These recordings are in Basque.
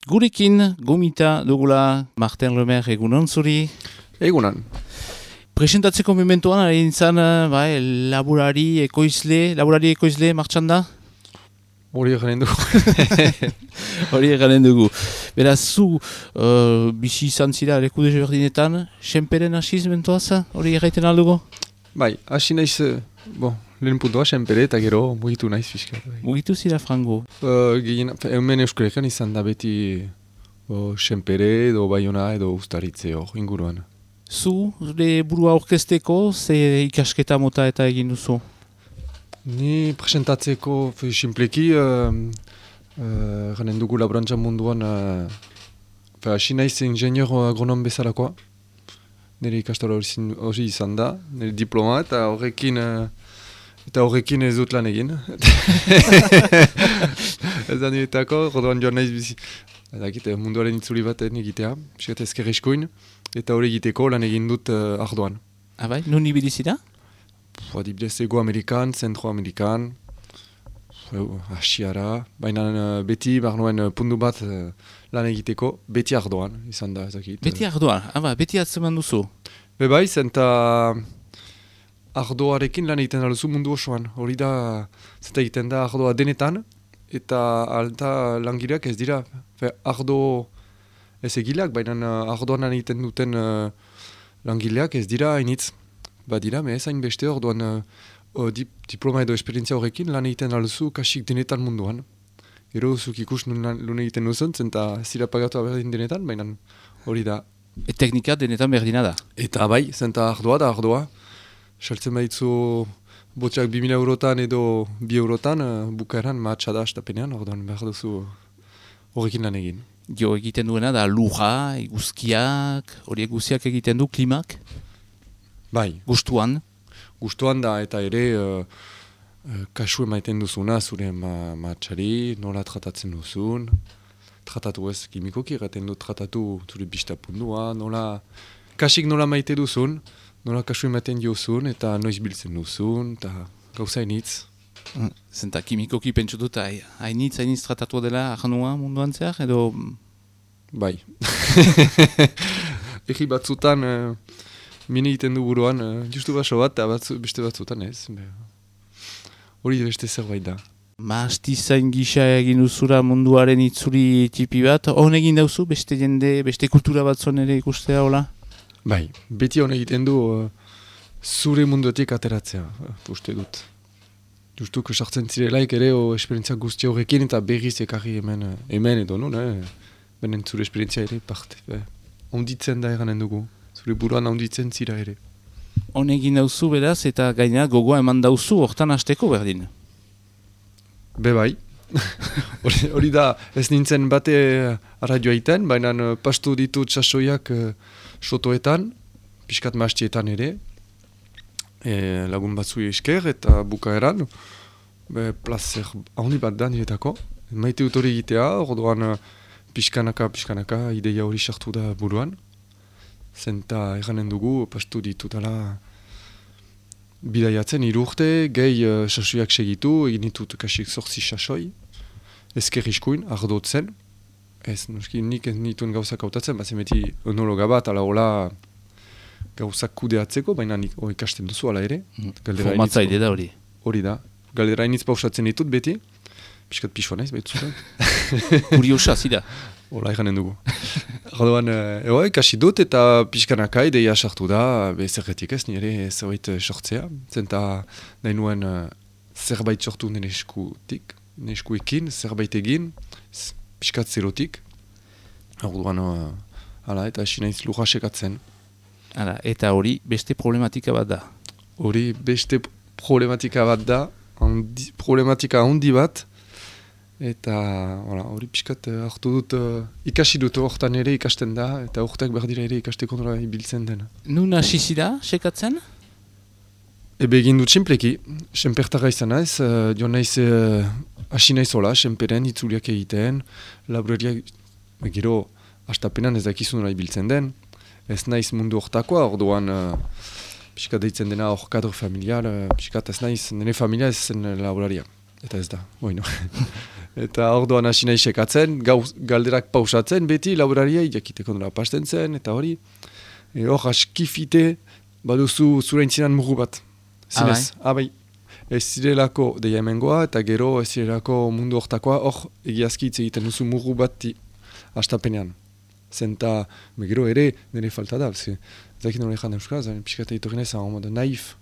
Gurekin, gomita dugula Martin Lemer egunon zuri. Egunan. Presentatzeko mementoan, ari nintzen, laborari ekoizle martxan da? Hori egaren dugu. Beraz, zu bizi izan zira leku desberdinetan, senperen hasiz mentoaz, hori egiten aldugu? Bai, hasi naiz, lehen puntua senpere eta gero mugitu naiz fiskat. Mugitu zira frango? Hemen Euskal izan da beti senpere edo Baiona edo Uztaritze hor inguruan. Zu, zure burua orkesteko, ze ikasketa mota eta egin duzu? Ni presentatzeko simpleki, garen dugu laborantza munduan, hasi naiz ingenieur agronom bezalakoa. Nire ikastara hori izan da, nire diploma eta horrekin ez dut lan egin. Ez da niretako, rodoan joan naiz bizi. Munduaren itzuli baten egitea, piskat ezker eskuin, eta hori egiteko lan egin dut ardoan. Abai, nun ibilizira? Adibidez, Ego-Amerikan, Zentro-Amerikan, Asiara, baina beti barnoen puntu bat lan egiteko, beti ardoan, izan da ezakit. Beti ardoan, beti atzeman duzu? Bai, zenta ardoarekin lan egiten daluzu mundu osoan. Hori da, zenta egiten da ardoa denetan, eta alta langileak ez dira. Ardo ez egileak, baina ardoan lan egiten duten langileak ez dira hainitz. Badira, ez hain beste orduan diploma edo esperientzia horrekin lan egiten alzu kasik denetan munduan. Gero zuk ikus nun egiten duzun, zenta zira pagatu berdin denetan, baina hori da. Teknika denetan berdina da? Eta bai, zenta ardoa da ardoa. Saltzen baitzu botxak 2000 eurotan edo 2 eurotan, bukaeran mahatsa da astapenean, orduan behar duzu horrekin lan egin. Jo egiten duena da lurra, eguzkiak, horiek guztiak egiten du klimak? Bai. Gustuan? Gustuan da, eta ere kasu emaiten duzuna zure mahatxari, nola tratatzen duzun. Tratatu ez kimikoki, erraten du tratatu zure bistapundua, kasik nola maite duzun, nola kasu ematen diozun, eta noiz biltzen duzun, eta gauza hainitz. Zenta kimikoki pentsu dut, hainitz tratatu dela ahanua munduan zehar, edo? Bai. Egi batzutan mini egiten du buruan, justu baso bat, eta beste batzutan ez. Hori beste zerbait da. Mastizain gisa egin duzura munduaren itzuri tipi bat, hon egin dauzu, beste jende, beste kultura batzuen ere ikustea, hola? Bai, beti hon egiten du zure munduetik ateratzea, uste dut. Justuko sartzen zirelaik ere esperientzia guzti horrekin eta berriz ekarri hemen edo nun, benen zure esperientzia ere parte. Onditzen da eranen dugu, zure buruan onditzen zira ere. Hon egin dauzu beraz eta gaina gogoa eman dauzu hortan hasteko berdin? Bai. Hori da, ez nintzen bate arradioa iten, baina pastu ditut sasoiak sotoetan, piskat maastietan ere, lagun batzu esker eta bukaeran, plazer handi bat da niretako. Maite dut hori egitea, orduan pixkanaka ideia hori sartu da buruan. Zenta eranen dugu, pastu ditutala bidaiatzen 3 urte, gehi sasoiak segitu, egin ditut kasik 8 sasoi, ezker iskuin, ardotzen. Ez, nik ez nituen gauzak hautatzen, bazen beti enologa bat, ala hola gauzak kudeatzeko, baina nik ikasten duzu ala ere. Formatzaide da hori. Hori da. Galdera hainitz pausatzen ditut beti, piskat pixua naiz, behitu. Kuriosa, zida. Hola, eranen dugu. Orduan, ikasi dut eta pixkanaka ideia sartu da, zerretik ez, nire zerbait sortzea. Zenta nahi nuen zerbait sortu nire eskuekin, zerbait egin, pixkat zerotik. Orduan, eta hasi naiz lurra sekatzen. Eta hori beste problematika bat da? Hori beste problematika bat da, problematika handi bat, eta hori pixkat hartu dut, ikasi dut hortan ere ikasten da, eta hortak berdira ere ikasteko nola ibiltzen den. Nun hasi zira sekatzen? Egin dut senpleki, senpertara izan naiz, joan naiz hasi naiz hola, senperen itzuliak egiten, laborariak, gero, hastapenan ez dakizu nola ibiltzen den, ez naiz mundu hortakoa, orduan pixkat deitzen dena hor kadro familiar, pixkat ez naiz, nire familia ez zen laboraria. Eta ez da, bueno. Eta orduan hasi nahi sekatzen, galderak pausatzen, beti laborariai jakiteko nola pasten zen, eta hori. Hor, askifite, baduzu zure intzinan mugu bat. Zinez, abai. Ez zirelako deia hemengoa, eta gero ez zirelako mundu hortakoa, hor, egiazki hitz egiten duzu mugu bat astapenean. Zenta, gero ere, nire falta da, zakin nola ezan euskara, zaren pixkata itorren ezan, naif.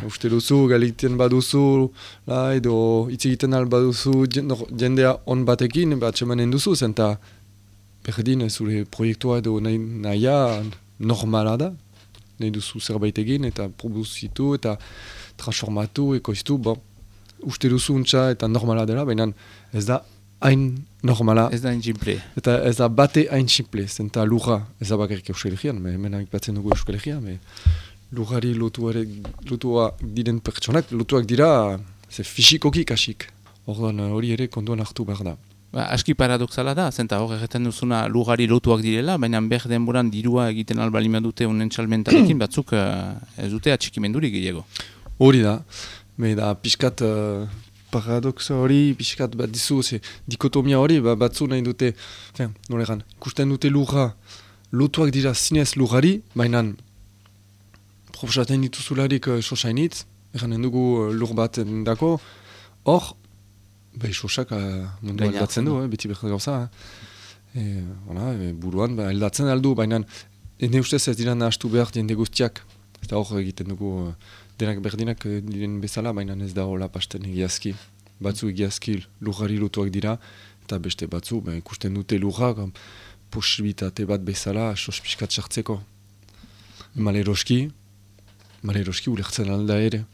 Uste duzu, galiten baduzu, edo hitz egiten baduzu jendea on batekin, atxemanen duzu, zenta berdin zure proiektua edo nahia normala da, nahi duzu zerbait egin, eta produzitu, eta transformatu, ekoiztu, uste duzu untxa eta normala dela, baina ez da hain normala. Ez da hain simple. Eta ez da bate hain simple, zenta lurra, ez da bakarrik Euskal Herrian, hemen batzen dugu Euskal Herrian, lurrari lotuak diren pertsonak, lotuak dira fisikoki kasik. Orduan hori ere konduan hartu behar da. Aski paradoxala da, zenta hor egiten duzuna lurrari lotuak direla, baina behar denboran dirua egiten albalima dute unen txalmentarekin batzuk ez dute atxikimendurik gehiago. Hori da, da pixkat paradoxa hori, pixkat bat dizu, dikotomia hori batzu nahi dute, nolegan, ikusten dute lurra lotuak dira zinez lurrari, baina proposatzen dituzularik sosainitz, eganen dugu lur bat dako, hor, sosak mundu aldatzen du, beti behar gauza. Buruan aldatzen aldu, baina ene ustez ez dira nahastu behar jende guztiak. Eta hor egiten dugu denak berdinak diren bezala, baina ez da hola pasten egiazki. Batzu egiazki lurrari lotuak dira, eta beste batzu ikusten dute lurra, posibilitate bat bezala sospiskat sartzeko. Maleroski ulertzen alda ere.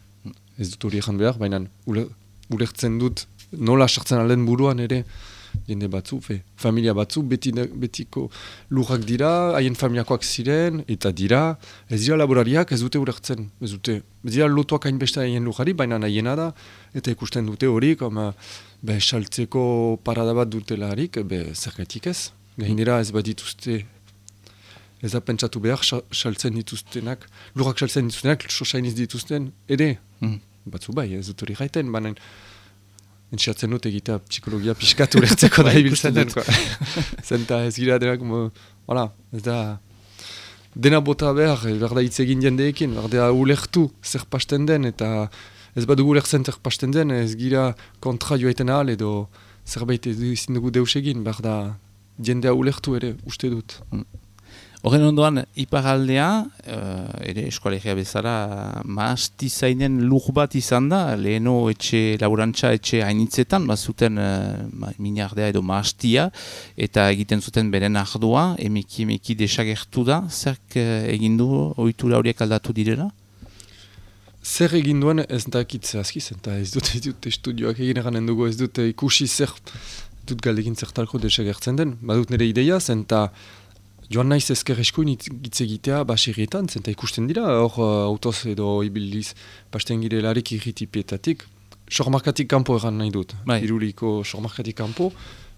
Ez dut hori egan behar, baina ulertzen dut nola sartzen alden buruan ere jende batzu, familia batzu, betiko lurrak dira, haien familiakoak ziren, eta dira, ez dira laborariak ez dute ulertzen, ez dira lotuak hainbeste haien lurrari, baina nahiena da, eta ikusten dute hori, saltzeko parada bat dutelarik, zergatik ez. Gainera ez bat dituzte, ez da pentsatu behar, saltzen dituztenak, lurrak saltzen dituztenak, sosainiz dituzten, ere, batzu bai, ez dut hori gaiten, baina entxatzen dut egitea psikologia piskatu lertzeko da ibiltzen den. Zenta ez gira denak, ez da dena bota behar da hitz egin jendeekin, behar da ulertu zer pasten den, eta ez badugu ulertzen zer pasten den, ez gira kontra joaiten ahal, edo zerbait ezin dugu deus egin, behar da jendea ulertu ere, uste dut. Horren ondoan, iparaldea, ere eskoalegia bezala, maastizainen lur bat izan da, leheno laborantza etxe hainitzetan, bazuten minardea edo maastia, eta egiten zuten beren ardua, emeki desagertu da, zerk egindu ohitura horiek aldatu direla? Zer egin duen ez dakit zehazkiz, eta ez dut estudioak egin eganen dugu, ez dut ikusi zer, dut galdegin zertalko desagertzen den, badut nire ideia, zenta joan naiz ezker eskuin hitz egitea baserrietan, zenta ikusten dira, hor autoz edo ibiliz pasten girelarik irritipietatik, sormarkatik kanpo egan nahi dut, iruliko sormarkatik kanpo,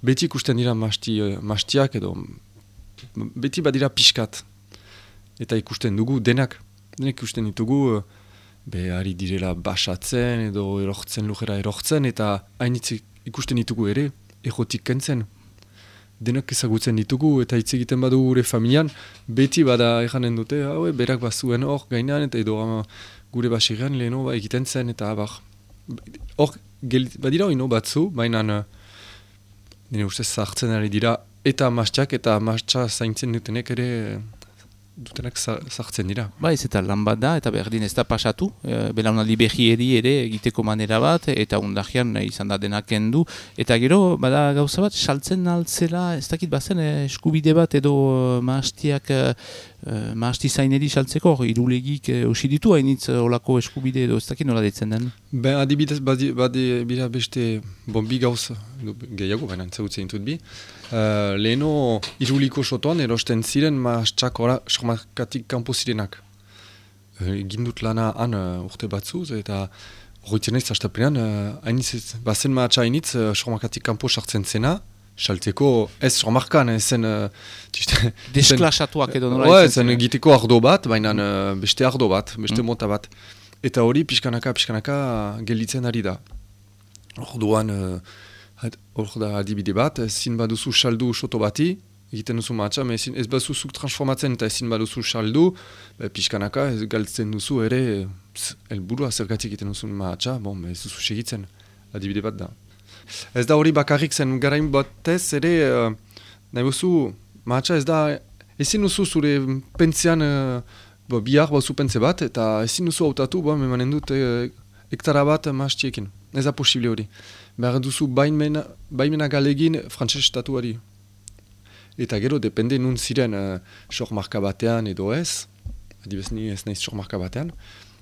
beti ikusten dira mastiak edo, beti badira pixkat, eta ikusten dugu denak ikusten ditugu, ari direla basatzen edo erortzen lujera erortzen, eta hainitz ikusten ditugu ere, egotik kentzen. Denak ezagutzen ditugu eta hitz egiten badugu gure familian, beti bada eganen dute, berak bazuen hor gainan, eta edo gure baserrean leheno egiten zen, eta hor badira hori batzu, baina nire ustez zartzen ari dira, eta mastiak eta mastxa zaintzen dutenek ere dutenak zartzen dira. Ez eta lan bat da, eta berdin ez da pasatu, belaunaldi behieri ere egiteko manera bat, eta undagian izan da denak kendu, eta gero, bada gauza bat, saltzen altzela, ez dakit bazen, eskubide bat edo maastizaineri saltzeko, irulegik osiditu hainitz olako eskubide edo ez dakit nola ditzen den? Adibidez, bada beste bi gauza, gehiago, baina entzagutzen ditut bi, leheno iruliko sotoan erosten ziren maastxak sormarkatik kanpo zirenak. Gindut lana han urte batzuz, eta horretzen ez astapenean, bazen maatxa hainitz sormarkatik kanpo sartzen zena, saltzeko ez sormarkan, zen... Desklasatuak edo nola zen egiteko ardo bat, baina beste ardo bat, beste mota bat. Eta hori pixkanaka gelditzen ari da. Orduan... Hor da adibide bat, ezin baduzu saldu soto bati, egiten duzu mahatsa, ez bazuzuk transformatzen eta ezin baduzu saldu, pixkanaka ez galtzen duzu ere, helburua zergatik egiten duzu mahatsa, ez duzu segitzen, adibide bat da. Ez da hori bakarrik zen garain batez ere, nahi buzu, mahatsa ez da, ezin duzu zure pentzian, bihar bazu pentze bat, eta ezin duzu hautatu, emanen dut hektara bat mahastiekin, ez da posible hori. Behar duzu baimena galegin frantses estatuari. Eta gero, depende nun ziren sormarka batean edo ez, adibez ni ez naiz sormarka batean,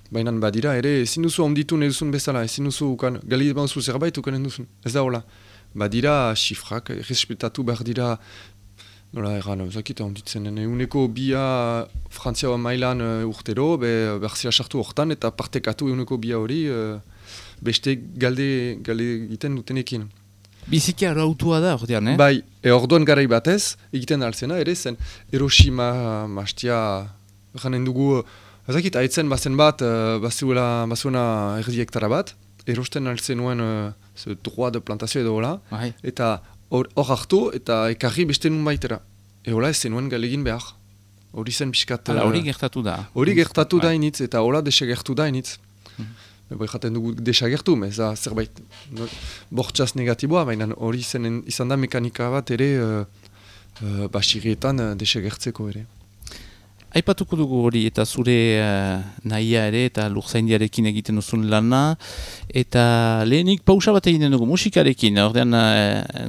baina badira ere ezin duzu onditu nahi duzun bezala, ezin duzu galegin duzu zerbait ukanen duzun, ez da hola. Badira xifrak, respetatu behar dira, nola erran, zakita onditzen, euneko bia Frantzia mailan urtero, berzia sartu hortan eta partekatu euneko bia hori, beste galde egiten dutenekin. Biziki arautua da, ordean, Bai, orduan garai batez, egiten altzena, ere zen Hiroshima, Mastia, janen dugu, ezakit, haitzen bazen bat, bazuena erdi hektara bat, erosten altzenuen droit de plantazio edo hola, eta hor hartu eta ekarri beste nun baitera. Eola ez zenuen galegin behar. Hori zen pixkat... Hori gertatu da. Hori gertatu da initz, eta hola desagertu da initz. Jaten dugu desagertu, ez da zerbait bortxaz negatiboa, baina hori izan da mekanika bat ere basirietan desagertzeko ere. Aipatuko dugu hori eta zure nahia ere eta lurzaindiarekin egiten duzun lana, eta lehenik pausa bat egiten dugu musikarekin, ordean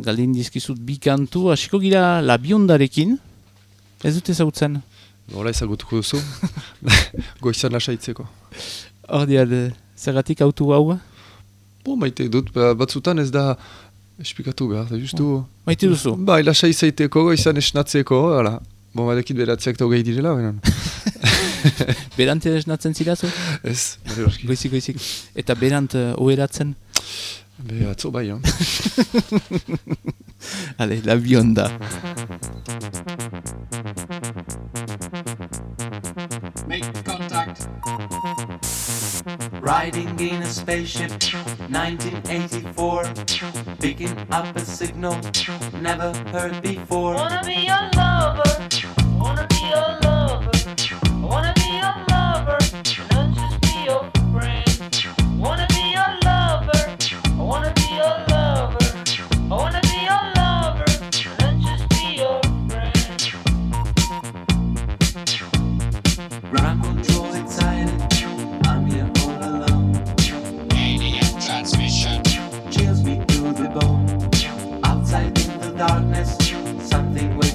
galdin dizkizut bi kantu, hasiko gira Labiondarekin, ez dut ezagutzen? Nola ezagutuko duzu, goizan lasaitzeko. Ordean, zergatik autu hau? Maite dut, batzutan ez da esplikatu behar, da justu... Maite duzu? Bai, lasai zaiteko, goizan esnatzeko, hala. Badekit beratzeak da hogei direla, benan. Berant esnatzen zirazu? Ez, goizik. Eta berant oheratzen? Atzo bai, Ale, Labionda. Make contact. Riding in a spaceship, 1984, picking up a signal never heard before. Wanna be your lover, wanna be your lover, wanna be your lover, not just be your friend. Wanna be your lover, wanna be your lover, wanna be your lover, not just be your friend. Ground control excited, I'm here all alone. AM transmission Chills me to the bone. Outside in the darkness, something will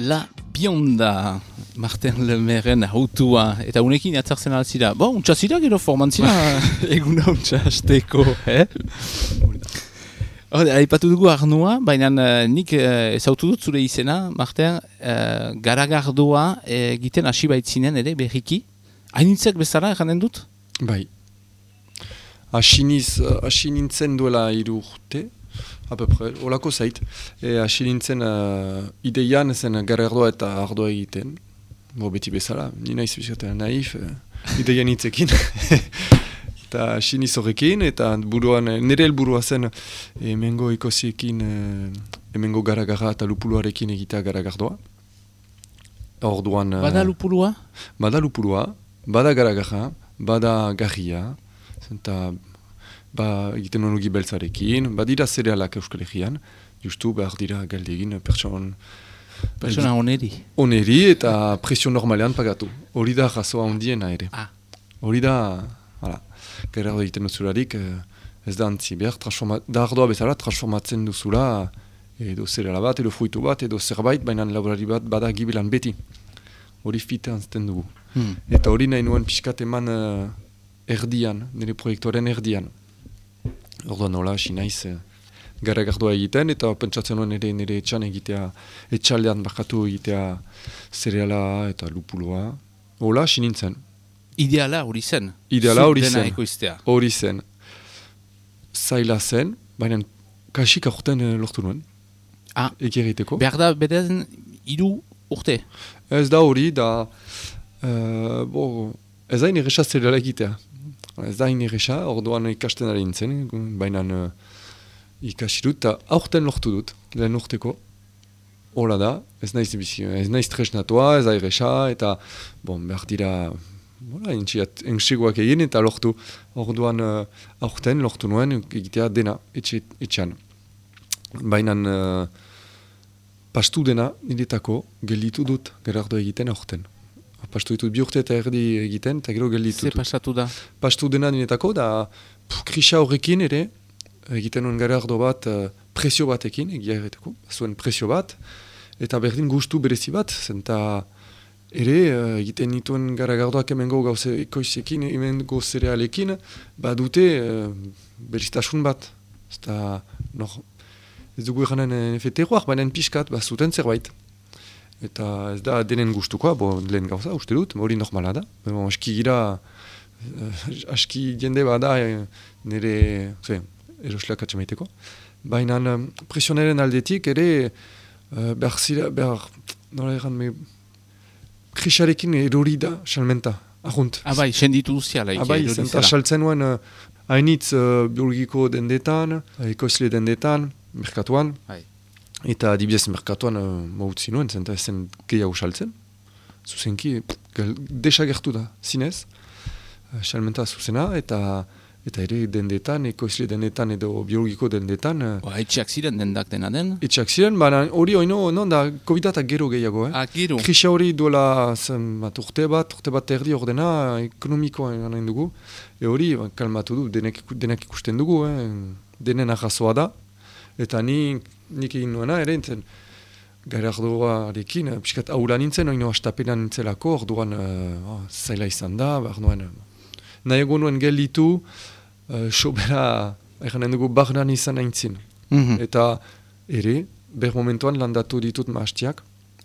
La Bionda, Martin Lemeren autua, eta unekin atzartzen altzira. Untsa zira gero formantzira, eguna untsa hasteko, Aipatu dugu Arnua, baina nik ezautu dut zure izena, Martin, garagardoa egiten hasi baitzinen ere, berriki. Hainitzek bezala erranen dut? Bai. Hasi nintzen duela 3 urte, apepre, olako zait. Hasi nintzen ideian zen garagardoa eta ardoa egiten. Beti bezala, ni naiz bizkaten naif, ideian hitzekin. Eta siniz horrekin, eta nire helburua zen hemengo ikosiekin, hemengo garagarra eta lupuluarekin egitea garagardoa. Orduan... Bada lupulua? Bada lupulua, bada garagarra, bada garria, eta egiten onugi beltzarekin, badira zerealak Euskal Herrian, justu behar dira galdegin Persona oneri. Oneri eta presio normalean pagatu. Hori da jasoa ondiena ere. Hori da... Gerardo egiten duzularik, ez da antzi behar, da ardoa bezala transformatzen duzula edo zereala bat, edo fruitu bat, edo zerbait, baina laborari bat bada gibelan beti. Hori fite antzten dugu. Eta hori nahi nuen pixkat eman erdian, nire proiektuaren erdian. Orduan nola, hasi naiz garagardoa egiten, eta pentsatzen nuen nire etxan egitea, etxaldean bakatu egitea zereala eta lupuloa. Hola, hasi nintzen. Ideala hori zen. Ideala hori zen. Hori zen. Zaila zen, baina kasik aurten lortu nuen. Egeriteko. Behar da beden 3 urte? Ez da hori, da... ez da ineresa zerela egitea. Ez da ineresa, orduan ikasten ari nintzen, baina ikasi dut, eta aurten lortu dut, lehen urteko. Hola da, ez naiz tresnatua, ez da iresa, eta behar dira... Engsegoak egin eta lortu. Orduan aurten lortu nuen egitea dena etxean. Baina pastu dena niretako gelditu dut Gerardo egiten aurten. Pastu ditut 2 urte eta erdi egiten eta gero gelditu dut. Ze pasatu da? Pastu dena niretako da krisa horrekin ere egiten nuen Gerardo bat presio batekin egia erreteko. Zuen presio bat eta berdin gustu berezi bat zenta ere, egiten nituen garagardoak hemengo gauze ekoizekin, hemengo zerealekin, badute beristasun bat. Ez dugu eranen efeteroak, baina pixkat, zuten zerbait. Eta ez da denen gustukoa, lehen gauza, uste dut, hori normala da. Aski gira, aski jende bada nire erosleak atxamaiteko. Baina presionaren aldetik ere, behar, nola eran, krisarekin erori da, salmenta, ahunt. Bai, senditu duziala. Bai, zenta saltzen nuen hainitz biologiko dendetan, ekoizle dendetan, merkatuan. Eta adibidez merkatuan mautzi nuen, zenta ezen gehiago saltzen. Zuzenki, desagertu da, zinez. Salmenta zuzena, eta ere dendetan, ekoizle dendetan edo biologiko dendetan. Etxeak ziren dendak dena den? Etxeak ziren, baina hori non da COVID-atak gero gehiago. Gero? Krisa hori duela urte bat erdi ordena ekonomikoa nahi dugu. Hori kalmatu du, denak ikusten dugu, denen arrazoa da. Eta nik egin nuena ere, Gerardoarekin, piskat aula nintzen, oino astapena nintzelako, orduan zaila izan da, nahi egon nuen gelditu, sobera, eranen dugu, barnan izan aintzin. Eta ere, momentuan landatu ditut maastiak,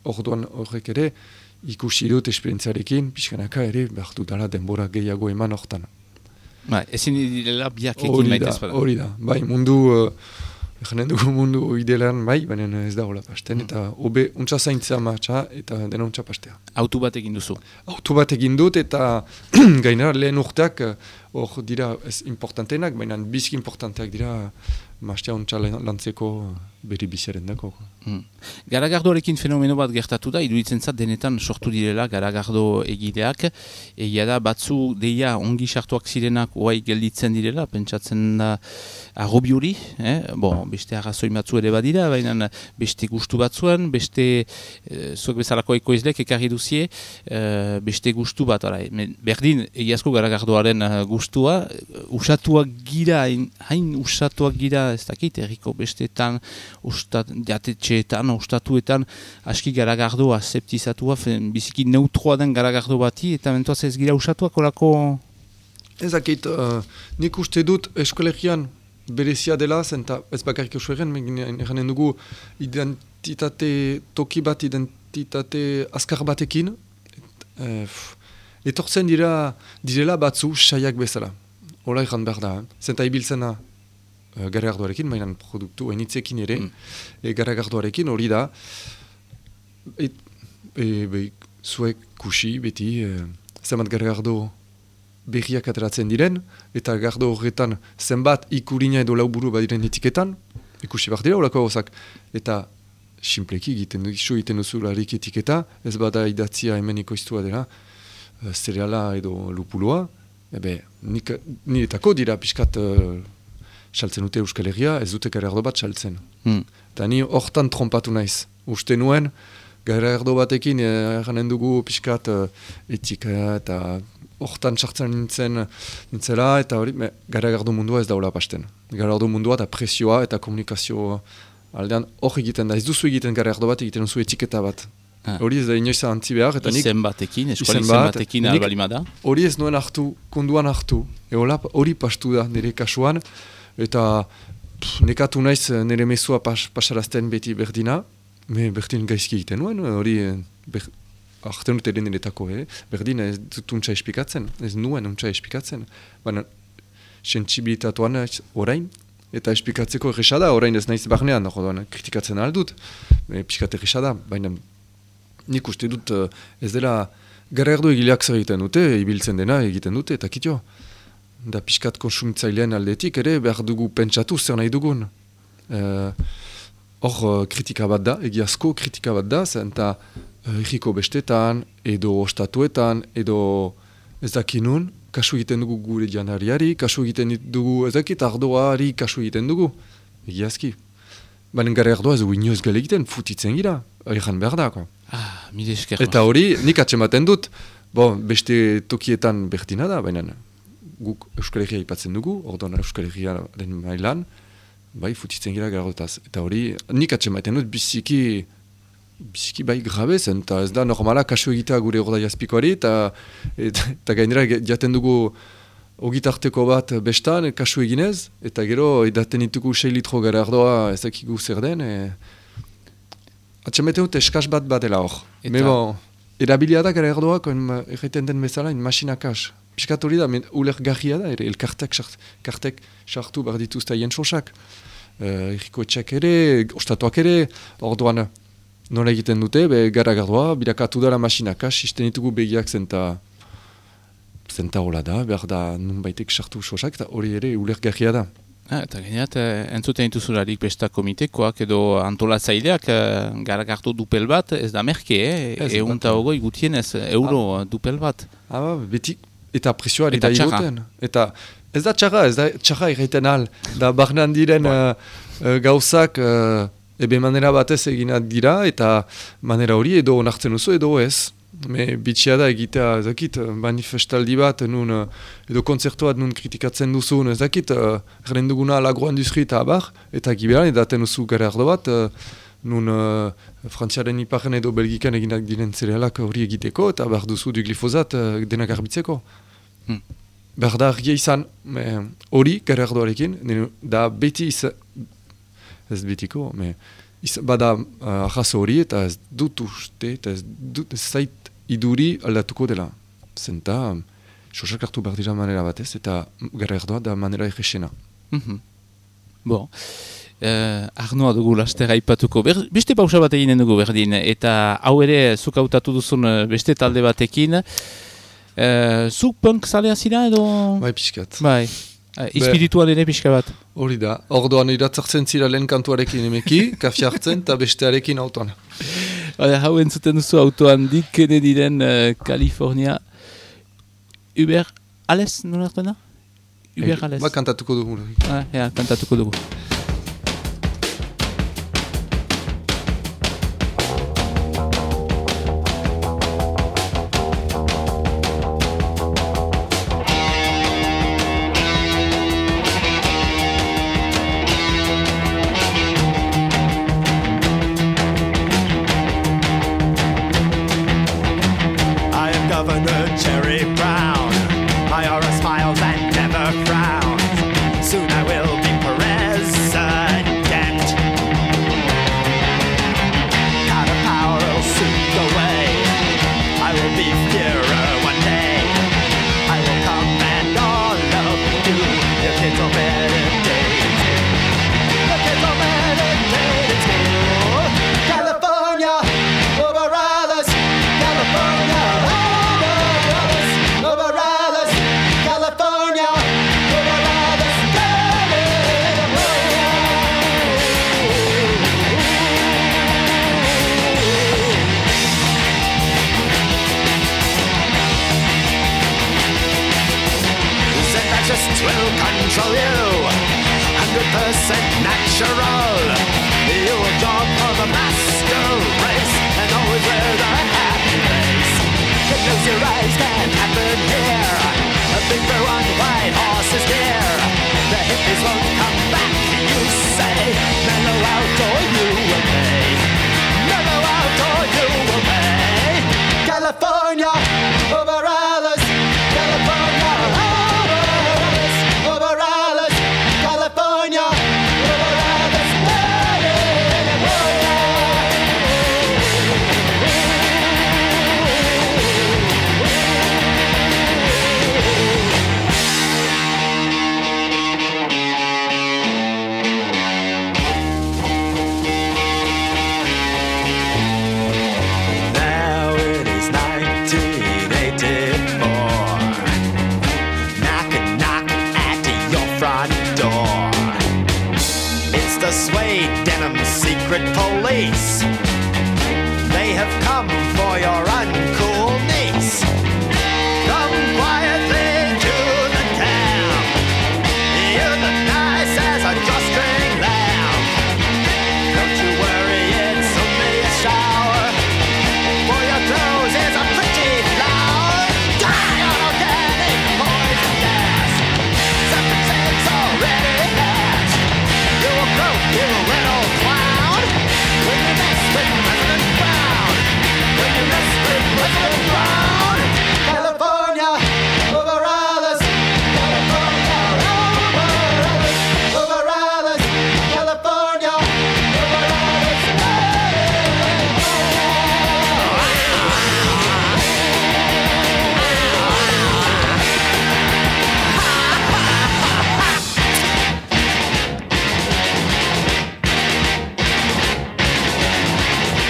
orduan horrek ere, ikusi dut esperientziarekin, pixkanaka ere, behar dudala denbora gehiago eman hortan. Ezin direla biak ekin maitez bada. Hori da, bai, mundu... Eranen dugu mundu idealean bai, baina ez da hola pasten, eta hobe untsa zaintzea martxa eta dena untsa pastea. Autu bat egin duzu? Autu bat egin dut eta gainera lehen urteak hor dira ez importantenak, baina bizki importanteak dira martxea untsa lantzeko beri biziaren dako. Garagardoarekin fenomeno bat gertatu da, iruditzen zat denetan sortu direla garagardo egideak, egia da batzu deia ongi sartuak zirenak oai gelditzen direla, pentsatzen da arrobiuri, beste arrazoi batzu ere badira, baina beste gustu batzuen, beste zuek bezalako ekoizlek ekarri duzie, beste gustu bat, berdin egiazko garagardoaren gustua, usatuak gira, hain usatuak gira, ez dakit, erriko besteetan, jatetxeetan, ustatuetan, aski garagardoa, septizatua, biziki neutroa den garagardo bati, eta mentuaz ez gira usatuak orako... Ez dakit, nik uste dut eskolegian berezia dela, zenta ez bakarrik euskalegian, egin dugu identitate toki bat, identitate azkar batekin, etortzen direla batzu saiak bezala. Hola ikan behar da, zenta ibiltzena garagardoarekin, mainan produktu hainitzekin ere, garagardoarekin hori da, zuek kusi beti, zenbat garagardo berriak ateratzen diren, eta gardo horretan zenbat ikurina edo lauburu badiren etiketan, ikusi behar dira horako gauzak, eta simpleki egiten duzularik etiketa, ez bada idatzia hemen ikoiztua dela, zereala edo lupuloa, niretako dira pixkat saltzen dute Euskal Herria, ez dute garagardo bat saltzen. Eta ni hortan trompatu naiz. Uste nuen, garagardo batekin eranen dugu pixkat etika eta hortan sartzen nintzela, eta hori, garagardo mundua ez daula pasten. Garagardo mundua eta presioa eta komunikazio aldean hor egiten da. Ez duzu egiten garagardo bat, egiten duzu etiketa bat. Hori ez da inoiz antzi behar. Izen batekin, eskola izen batekin albalimada. Hori ez nuen hartu, konduan hartu. Hori pastu da nire kasuan, eta nekatu naiz nire mezua pasarazten beti berdina, berdin gaizki egiten nuen, hori hartzen dut ere niretako, berdin ez dut untsa espikatzen, ez nuen untsa espikatzen. Baina, sentsibilitatuan orain, eta espikatzeko errexada, orain ez naiz barnean, kritikatzen aldut, piskat errexada, baina nik uste dut ez dela garagardo egileak zer egiten dute, ibiltzen dena egiten dute, eta kitio. Da piskat konsumitzailean aldetik ere behar dugu pentsatu zer nahi dugun. Hor kritika bat da, egiazko kritika bat da, zenta erriko bestetan, edo ostatuetan, edo ez dakinun, kasu egiten dugu gure janariari, kasu egiten dugu ez dakit ardoari kasu egiten dugu. Egiazki. Baina garagardoa ez dugu inoz gale egiten, futitzen gira, erran behar da. Mire esker. Eta hori, nik atzematen dut, beste tokietan berdina da, baina guk Euskal Herria ipatzen dugu, orduan Euskal Herriaren mailan, futitzen gira garagardoetaz. Eta hori, nik atzematen dut biziki bai grabe zen, eta ez da normala kasu egitea gure ordai azpikoari, eta gainera jaten dugu ogitarteko bat bestan, kasu eginez, eta gero edaten ditugu 6 litro garagardoa ez dakigu zer den, atxameten dut eskaz bat dela hor. Erabilia da garagardoak, erraiten den bezala, masinakas. Piskat hori da, ulergarria da, elkartek sartu behar dituzta jentsosak. Erriko etxak ere, ostatuak ere, orduan nola egiten dute, garagardoa, birakatu dara masinakas, isten ditugu begiak zenta hola da, behar da nun baitek sartu sosak, eta hori ere ulergarria da. Eta gaineat, entzuten dituzularik besta komitekoak edo antolatzaileak garagardo dupel bat, ez da merke, eunta ogoi gutienez, euro dupel bat. Beti, eta presioa eta igoten. Eta ez da txarra egiten al, da barnan diren gauzak manera batez eginat dira, eta manera hori edo onartzen duzu edo ez. Bitxia da egitea, ez dakit, manifestaldi bat, edo kontzertuat nun kritikatzen duzun, ez dakit, erren duguna agroindustri eta abar, eta giberan edaten duzu garagardo bat, nun frantziaren iparen edo belgikan eginak diren zerealak hori egiteko, eta behar duzu du glifosat denak garbitzeko. Behar da argia izan, hori garagardoarekin, da beti izan, ez betiko, bada arrazo hori, eta ez dut uste, eta ez dut zait iduri aldatuko dela. Zenta, sosak hartu behar dira manera batez, eta garagardoa da manera egexena. Arnoa dugu lastera ipatuko. Beste pausa bat eginen dugu berdin, eta hau ere zuk hautatu duzun beste talde batekin. Zuk punk zalea zira edo? Bai, pixkat. Bai. Espiritual ere pixka bat. Hori da. Orduan iratzartzen zira lehen kantuarekin emeki, kafia hartzen, eta bestearekin autoan. Hau entzuten duzu autoan dikene diren California Uber Ales, nola hartuena? Uber Ales. Kantatuko dugu. Kantatuko dugu. so meditating. Look at so meditating still. California, over Alice. California, over Alice. Over Alice. California, over Alice. Just will control you, 100% natural. You will job for the master race and always wear the happy face. You close your eyes, can't happen here. A big blue on white horse is near. The hippies won't come back, you say. Mellow out or you will pay. Mellow out or you will pay. California, over Alice. California, over Alice, California, over Alice, Now it is 1984. Knock and knock at your front door. It's the suede denim secret police. They have come for your uncool niece. Come quietly to the town. You're the nice as a drawstring lamb. Don't you worry, it's only a shower. For your clothes is a pretty flower. Die on organic poison gas. Something says already passed. You will croak, you little clown. When you mess with President Brown. When you mess with President Brown. California, over Alice. California, over Alice. Over Alice. California, over Alice.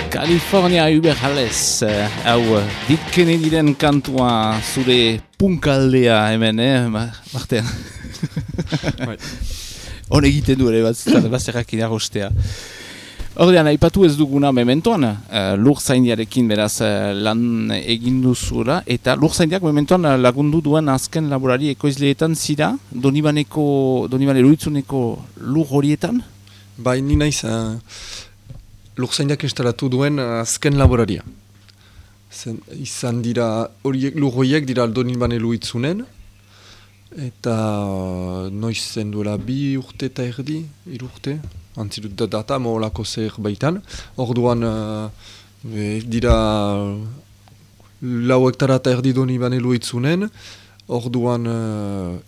California Uberales, hau Dick Kennedyren kantua zure punkaldea hemen, Marten? Hon egiten du ere bazterrak inarrostea. Ordean, aipatu ez duguna mementoan, lurzaindiarekin beraz lan egin duzula, eta lurzaindiak mementoan lagundu duen azken laborari ekoizleetan zira, Donibane Luitzuneko lur horietan? Bai, ni naiz lurzaindiak instalatu duen azken laboraria. Izan dira, lur horiek dira Donibane Luitzunen, eta noiz zen duela 2 urte eta erdi, 3 urte, antzirut da data, moholako zer baitan. Orduan dira 4 hektara eta erdi Donibane Luitzunen, orduan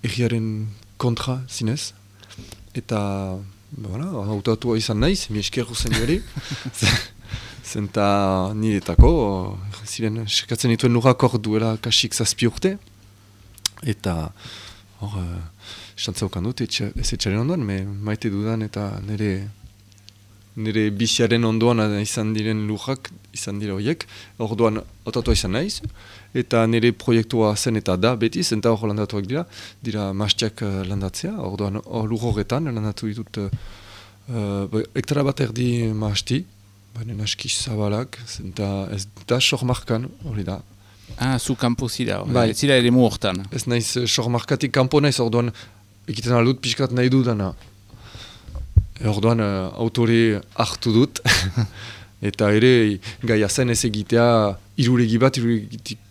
erriaren kontra zinez. Eta hautatua izan naiz, mi esker guzen jari. Zenta niretako, ziren, sekatzen dituen lurrak hor duela kasik 7 urte. Eta hor, estantzaukan dut, ez etxaren ondoan, maite dudan eta nire biziaren ondoan izan diren lurrak, izan dira horiek. Orduan hautatua izan naiz, eta nire proiektua zen eta da beti, zenta hor landatuak dira mastiak landatzea. Orduan lur horretan landatu ditut hektara bat erdi masti, baina aski zabalak, zenta ez da sormarkan, hori da. Zu kanpo zira, Bai. zira ere mu hortan. Ez naiz sormarkatik kanpo naiz, orduan egiten aldut pixkat nahi dudana. Orduan autore hartu dut, eta ere gaia zen ez egitea iruregi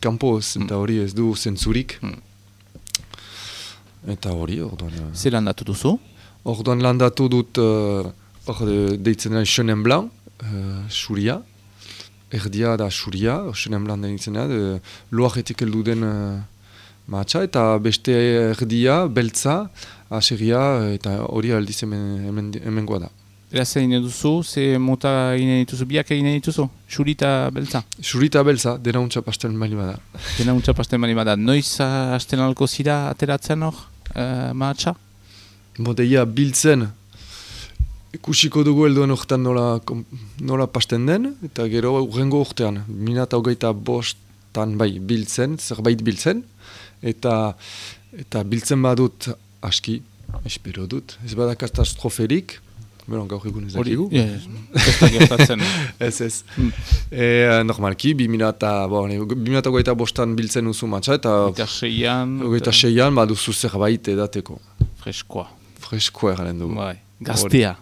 kanpo, eta hori ez du zentzurik. Eta hori, orduan... Zer landatu duzu? Orduan landatu dut, deitzen da Chenin Blanc, xuria. Erdia da xuria, Chenin Blanc deitzen da, loaretik heldu den matxa, eta beste erdia, beltza, aseria, eta hori aldiz hemengoa da. Era zer egin duzu, ze mota egin dituzu, biak egin dituzu? Xuri eta beltza? Xuri eta beltza, dena untxa pastel mali bada. Dena untxa pastel mali bada. Noiz hasten alko zira ateratzen hor, mahatsa? modeia biltzen, ikusiko dugu helduen urtean nola pasten den, eta gero urrengo urtean, 2025 bai, biltzen, zerbait biltzen, eta biltzen badut aski, espero dut, ez bada katastroferik, gaur egun ez dakigu. Ez da gertatzen. Ez. Normalki, 2025 biltzen uzu matxa, eta 26an baduzu zerbait edateko. Freskoa garen dugu. Bai, gaztea.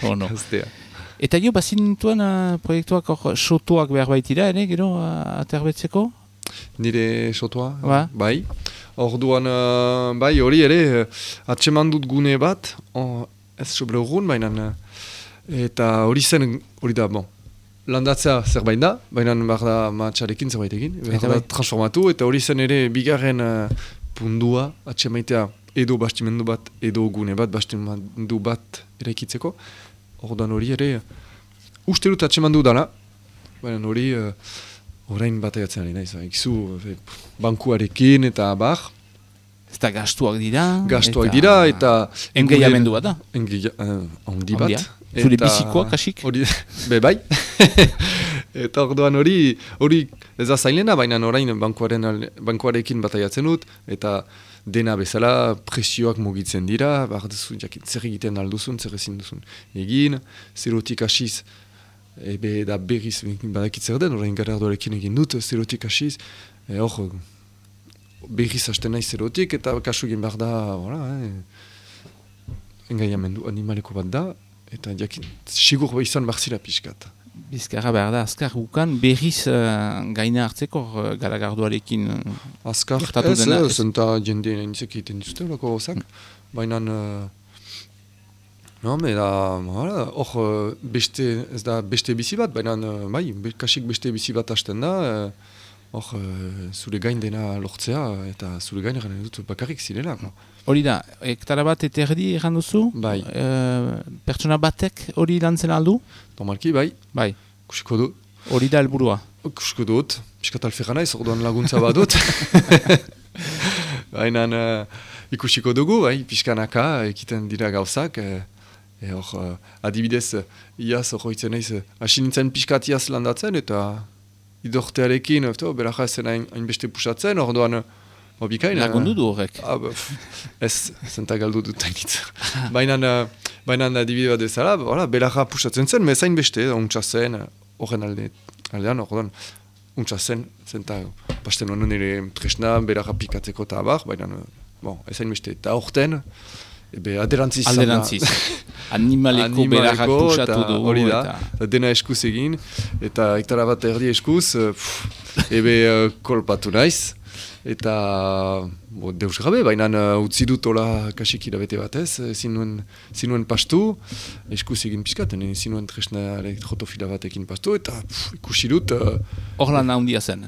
Ono. Gaztea. Eta jo, bazinituen proiektuak sotoak behar baitira, ere, gero, aterbetzeko? Nire sotoa? Bai. Orduan, bai, hori ere, atseman dut gune bat, ez sobre urgun, baina, eta hori da, landatzea zerbait da, baina behar da matxarekin zerbait egin, behar da transformatu, eta hori zen ere bigarren pundua, atsemaitea edo bastimendu bat, edo gune bat, bastimendu bat eraikitzeko. Orduan hori ere, uste dut atsemandu dala, baina hori orain bataiatzen ari naiz, ikizu bankuarekin eta bar. Ez da gastuak dira. Gastuak dira eta... Engaiamendu bat da. Handi bat. Zure bizikoak kasik? Bai. Eta orduan hori ez da zailena, baina orain bankuarekin bataiatzen dut, eta dena bezala presioak mugitzen dira, zer egiten alduzun, zer ezin duzun egin, zerotik hasiz, da berriz badakitzer den, orain garardoarekin egin dut, zerotik hasiz, hor, berriz hasten nahi zerotik, eta kasu egin behar da, engaiamendu animaleko bat da, eta sigur izan behar zira pixkat. Bizkarra behar da, azkar gukan berriz gaina hartzeko garagarduarekin gertatu dena. Ez, zenta jende nintzek egiten duzte, lako gozak, baina... ez da beste bizi bat, baina bai, kasik beste bizi bat hasten da, zure gain dena lortzea, eta zure gain eran dut bakarrik zirela. Hori da, hektara bat eterdi egan duzu? Bai. Pertsona batek hori lantzen aldu? Normalki, bai. Bai. Kusiko dut. Hori da helburua? Kusiko dut. Piskat alferra naiz, orduan laguntza badut. Baina ikusiko dugu, bai, piskanaka, ekiten dira gauzak. Adibidez, iaz, horretzen naiz, hasi nintzen piskat iaz landatzen, eta idortearekin, beraja zen hainbeste pusatzen, orduan, lagundu du horrek? Ez, zenta galdu dut hainitz. Baina adibide bat ezala, beraja pusatzen zen, mezain beste, untsa zen, horren aldean, orduan, untsa zen, zenta, pasten honen ere tresna, beraja pikatzeko eta abar, baina, ezain beste, eta horten, aderantziz. Animaleko berajak pusatu du. Hori da, dena eskuz egin, eta hektara bat erdi eskuz, kolpatu naiz, eta deus gabe, baina utzi dut hola kasik irabete batez, zinuen pastu, eskuz egin pizkat, zinuen tresna elektrotofila batekin pastu, eta ikusi dut... Hor lan handia zen?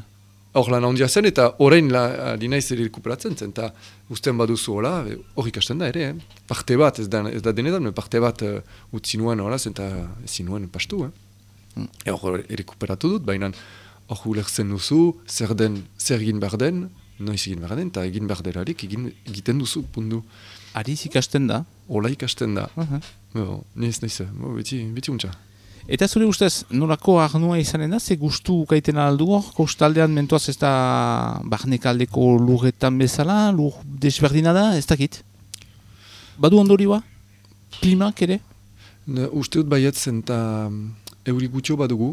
Hor lan handia zen, eta horrein dinaiz ere rekuperatzen zen, eta usten baduzu hola, hor ikasten da ere, parte bat, ez da denetan, parte bat utzi nuen hola, eta zinuen pastu. Hor rekuperatu dut, baina hor ulertzen duzu, zer egin behar den, noiz egin behar den, eta egin behar delarik egiten duzu, pundu. Ariz ikasten da? Hola ikasten da. Niz, beti untxa. Eta zure ustez, nolako arnua izanen da, ze gustu ukaiten aldu hor, kostaldean mentuaz ez da barnekaldeko lurretan bezala, lur desberdina da, ez dakit? Badu ondorioa? Klimak ere? Uste dut baiatzen eta euri gutxo badugu,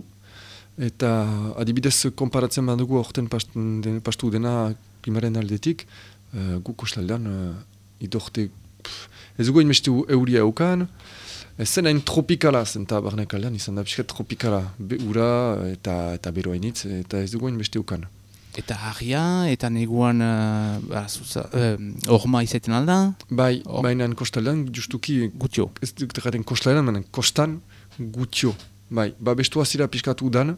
eta adibidez konparatzen badugu orten pastu dena klimaren aldetik, gu kostaldean idorte, ez dugu inmestu euria eukan, ez zen hain tropikala zen eta barnekaldean izan da pixkat tropikala, ura eta beroainitz, eta ez dugu inmestu eukan. Eta harria, eta neguan orma izaiten alda? Bai, baina kostaldean justuki... Gutio. Ez dut egiten kostaldean, baina kostan gutio. Bai, bestua zira pixkatu udan,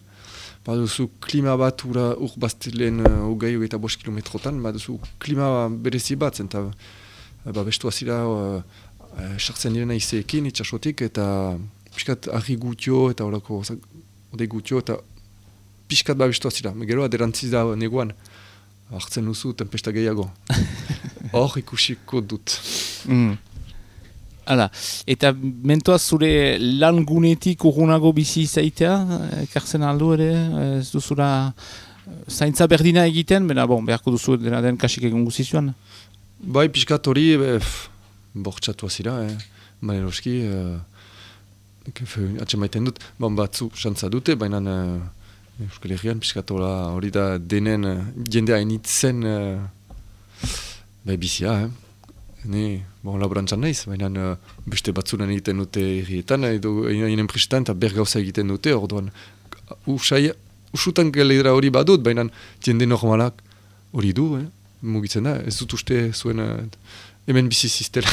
baduzu klima bat ur bastilen ugei eta 5 kilometrotan, baduzu klima berezi bat, eta bestua zira sartzen direna izeekin, itxasotik, eta pixkat argi gutio, eta horako ode gutio, eta pixkat bestua zira. Gero aderantziz da neguan, hartzen duzu tempesta gehiago. Hor ikusiko dut. Hala, eta mentoaz zure lan gunetik urgunago bizi izaitea, ekartzen aldu ere, ez duzula zaintza berdina egiten, beharko duzu dena den kasik egun guzizuan? Bai, pixkat hori, bortxatu azira, maneroski, atxe maiten dut, batzu xantza dute, baina Euskal Herrian pixkat hori da denen jende hainitzen bizia, laborantzan naiz, baina beste batzunan egiten dute herrietan, edo einen prestan eta bergauza egiten dute, orduan usutan geledra hori badut, baina jende normalak hori du, mugitzen da, ez dut uste zuen hemen bizi ziztela.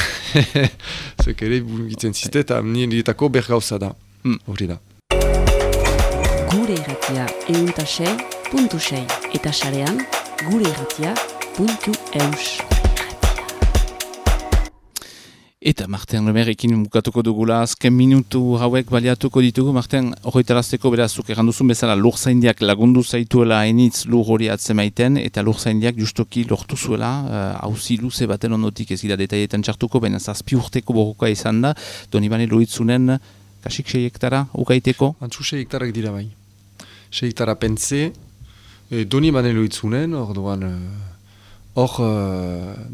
Zuek ere mugitzen zizte eta niretako bergauza da, hori da. Gure irratia euntasei.6 eta sarean gureirratia.eus. Eta Marten Lemerrekin bukatuko dugula, azken minutu hauek baliatuko ditugu. Marten, horretarazteko berazuk erranduzun bezala lurzaindiak lagundu zaituela hainitz lur hori atzemaiten, eta lurzaindiak justoki lortu zuela, hauzi luze baten ondotik ez gira detaietan txartuko, baina 7 urteko borroka izan da, Donibane Loitzunen kasik 6 hektara ukaiteko? Antzu 6 hektarak dira bai. 6 hektara pentze, Donibane Loitzunen, orduan hor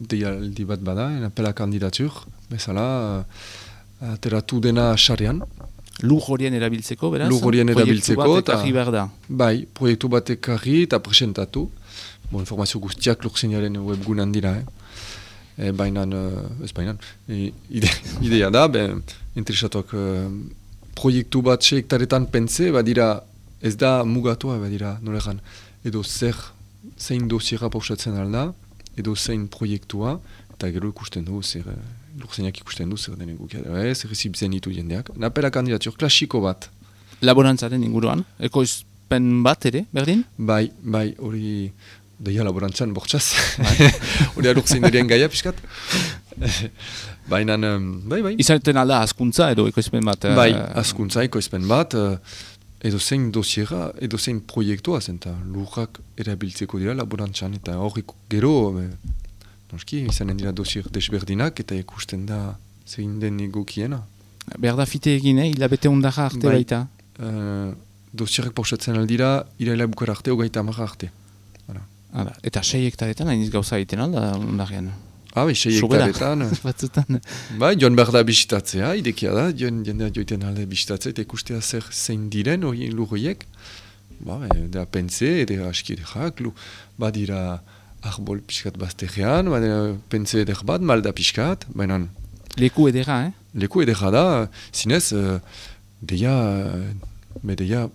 deialdi bat bada, apela kandidatur, bezala, ateratu dena xarrean. Lur horien erabiltzeko, beraz? Lur horien erabiltzeko. Proiektu bat ekarri behar da. Bai, proiektu bat ekarri eta presentatu. Informazio guztiak lurzainaren webgunan dira. Baina, idea da, interesatuak proiektu bat 6 hektaretan pentze, badira, ez da mugatua, badira, nolegan, edo zein dosiera pausatzen alda, edo zein proiektua, eta gero ikusten du, lurzeinak ikusten du, zer den egukia, zer ezibzen ditu jendeak. Napela kandidatur klasiko bat. Laborantzaren inguruan, ekoizpen bat ere, berdin? Bai, hori deia laborantzan bortxaz. Hori lurzeinarien gaia pixkat. Baina, bai. Izaten alda askuntza edo ekoizpen bat? Bai, askuntza ekoizpen bat, edo zein dosiera, edo zein proiektua zen, eta lurrak erabiltzeko dira laborantzan, eta hori gero, noski, izanen dira dosier desberdinak, eta ikusten da zein den egokiena. Behar da fite egin, hilabete ondara arte baita? Dosierak pausatzen aldira, iraila bukara arte, 30 arte. Eta 6 hektaretan, hainiz gauza egiten alda ondarean? Bai, 6 hektaretan. Batzutan. Bai, joan behar da bisitatzea, idekia da, jendea joiten alde bisitatzea, eta ikustea zein diren lur horiek. Da pentze, eda aski edekak, badira arbol pixkat bazterrean, pentze edek bat, malda pixkat, baina... Leku edera, Leku edera da, zinez, deia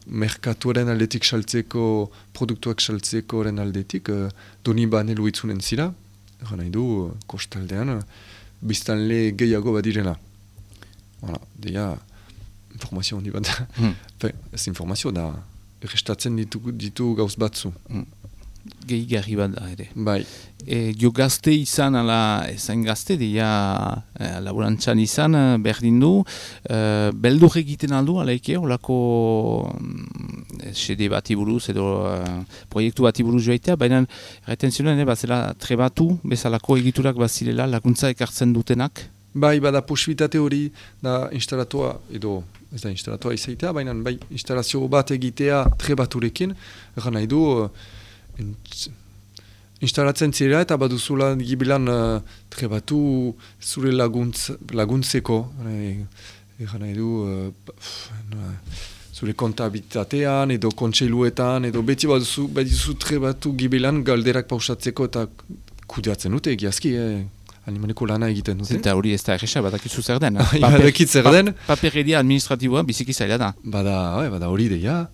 merkatuaren aldetik saltzeko, produktuak saltzeko aldetik, Donibane Loitzunen zira, eran nahi du, kostaldean, biztanle gehiago badirena. Deia, informazio handi bat da. Ez informazio da, errestatzen ditu gauz batzu. Gehigarri bat da ere. Bai. Jo gazte izan, ezain gazte, deia laborantzan izan, berdin du, beldur egiten aldu, alaike, olako sede bati buruz edo proiektu bati buruz joaitea, baina retenzionen bazela trebatu, bezalako egiturak bazilela, laguntza ekartzen dutenak? Bai, bada posibilitate hori da instalatua, edo ez da instalatua izaitea, baina bai instalazio bat egitea trebaturekin, eran nahi du, instalatzen zira eta baduzula gibilan trebatu zure laguntzeko. Egan nahi du zure kontabilitatean edo kontseiluetan edo beti baduzu trebatu gibilan galderak pausatzeko eta kudeatzen dute egiazki, animaleko lana egiten dute. Eta hori ez da erresa, badakizu zer den. Badakit zer den. Papereria administratiboa biziki zaila da. Bada hori deia,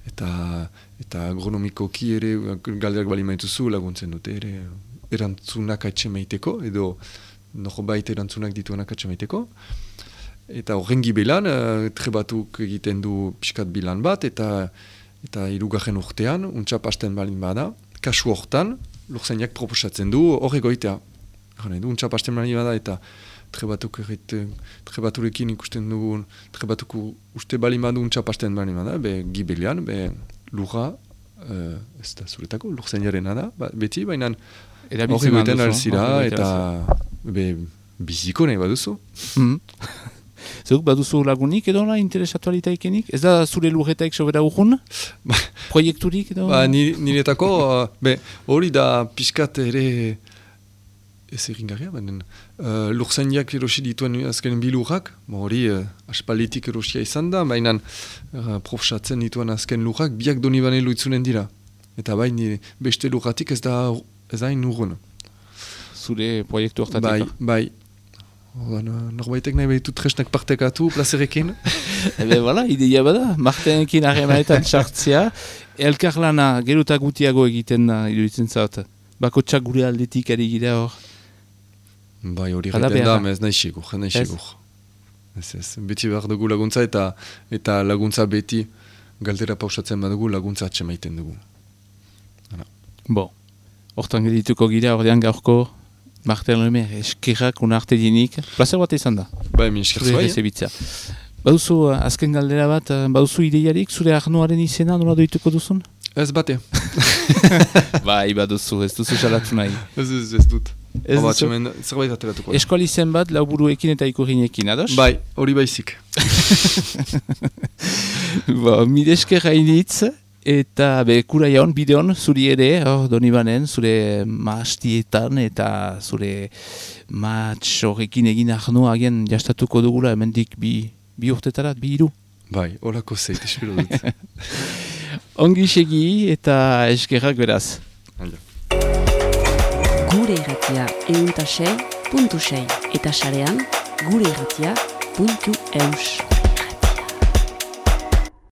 eta agronomikoki ere galderak bali maituzu laguntzen dute ere erantzunak atxemaiteko, edo norbait erantzunak dituenak atxemaiteko. Eta horren gibelan, trebatuk egiten du pixkat bilan bat, eta 3. urtean, untxap hasten balin bada, kasu hortan, lurzainak proposatzen du hor egoitea. Untxap hasten balin bada, eta trebaturekin ikusten dugun, trebatuko uste balin badu untxap hasten balin bada, gibelian, lurra, ez da zuretako, lurzainarena da, beti, baina hori goiten alzira, eta biziko nahi baduzu. Zeuk, baduzu lagunik edo la interesatu alitaikenik? Ez da zure lurretaik sobera urrun? Proiekturik edo? Niretako, hori da pixkat ere ez egingarria, baina lurzainiak erosi dituen azken bilurrak, hori aspalitik erosia izan da, baina profesatzen dituen azken lurrak biak Donibane luitzunen dira. Eta baina beste lurratik ez da hain urrun. Zure proiektu hortatik? Bai. Norbaitek nahi behitut tresnak partekatu plazerekin. Bala, ideia bada, Martenekin harremanetan txartzea, elkarlana geruta gutiago egiten da, iruditzen zaut. Bakotxak gure aldetik ari gira hor. Bai, hori egiten da, ez nahi sigur. Ez, beti behar dugu laguntza eta laguntza beti galdera pausatzen badugu laguntza atxemaiten dugu. Hortan gedituko gira, ordean gaurko Marten Lemer eskerrak unarte dinik. Plazer bat izan da. Bai, min esker zuai. Baduzu, azken galdera bat, baduzu ideiarik zure Arnoaren izena nola doituko duzun? Ez bate. Bai, baduzu, ez duzu salatu nahi. Ez dut. Zerbait ateratuko. Eskuali zen bat, lauburuekin eta ikurrinekin, ados? Bai, hori baizik. Mide esker hainitz. Eta kura jaun, bideon, zuri ere, Donibanen, zure maastietan eta zure matx horrekin egin Arnoa agian jastatuko dugula, hemendik bi urtetarat, 2 hiru. Bai, horako zeit, espero dut. Ongi segi eta eskerrak beraz. Gure irratia euntasei.6 eta sarean gureirratia.eus.